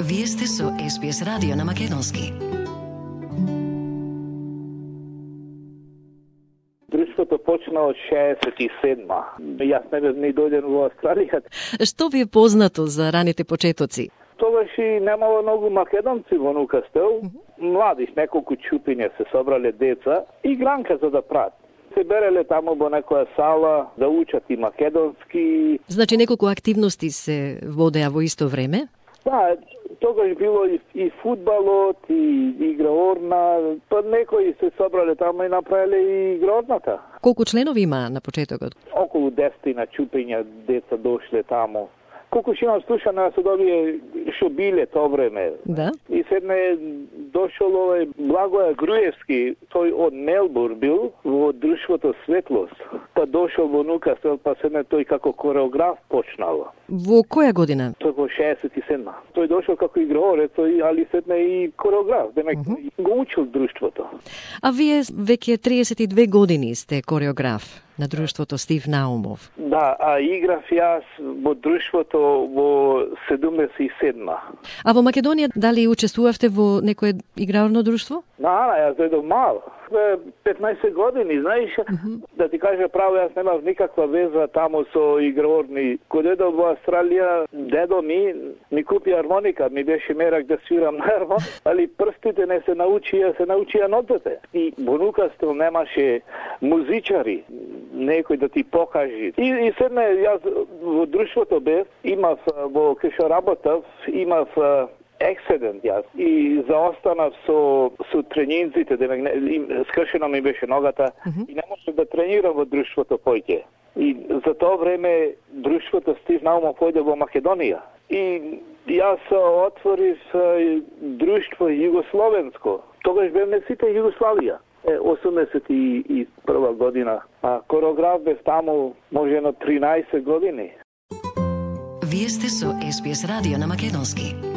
Вие сте со SBS радио на македонски. Друштвото почна од 67-ма. Јас не бев ни дојден во Австралија. Што ви е познато за раните почетоци? Тогаш и немало многу македонци во Нукастел. Младиш, неколку чупиња се собрале деца и гранка за да прат. Се береле таму во некоја сала да учат и македонски. Значи неколку активности се водеа во исто време? Да, тогаш било и фудбалот, и играорна, па некои се собрале таму и направиле и играорната. Колку членови има на почетокот? Околу 10 на чупиња деца дошле таму. Колку што имам слушано, се добие што биле тоа време. Да. И седне дошол овој Благоја Груевски, тој од Мелбур бил во друштвото Светлост. Па дошол во Нукастел, па седне тој како кореограф почнал. Во која година? Тој во 67-ма. Тој дошол како играорец, али седне и кореограф, демек го учил друштвото. А вие веќе 32 години сте кореограф на друштвото Стив Наумов. Да, а играв јас во друштвото во 77-ма. А во Македонија дали учествувавте во некое играорно друштво? Јас дојдов мал. 15 години, знаеш, да ти кажа право, јас немав никаква веза таму со играорни. Кога дојдов во Австралија, дедо ми купи армоника, ми беше мерак да свирам на армоника, али прстите не се научија нотите. И во Нукастел немаше музичари, некој да ти покажи. И седне, јас во друштвото бев, имав во кај што работав, имав ексцидент јас и заостанав со тренинците, скршена ми беше ногата и не можев да тренирам во друштвото поќе. И за тоа време друштвото Стив Наумов појде во Македонија. И јас отворив друштво југословенско. Тогаш бевме сите Југославија. 81 година. А кореограф бев таму можено 13 години. Вие сте со SBS радио на македонски.